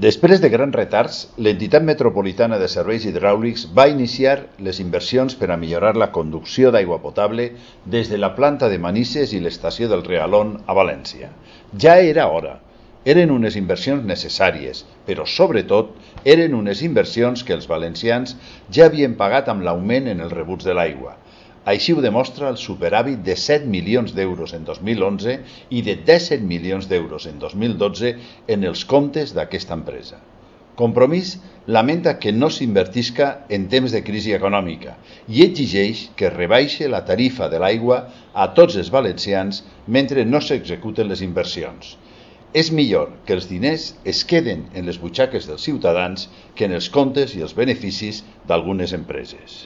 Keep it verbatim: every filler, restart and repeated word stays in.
Després de grans retards, l'Entitat Metropolitana de Serveis Hidràulics va iniciar les inversions per a millorar la conducció d'aigua potable des de la planta de Manises i l'estació del Realón a València. Ja era hora. Eren unes inversions necessàries, però sobretot eren unes inversions que els valencians ja havien pagat amb l'augment en els rebuts de l'aigua. Així ho demostra el superàvit de set milions d'euros en dos mil onze i de disset milions d'euros en dos mil dotze en els comptes d'aquesta empresa. Compromís lamenta que no s'invertisca en temps de crisi econòmica i exigeix que es rebaixe la tarifa de l'aigua a tots els valencians mentre no s'executen les inversions. És millor que els diners es queden en les butxaques dels ciutadans que en els comptes i els beneficis d'algunes empreses.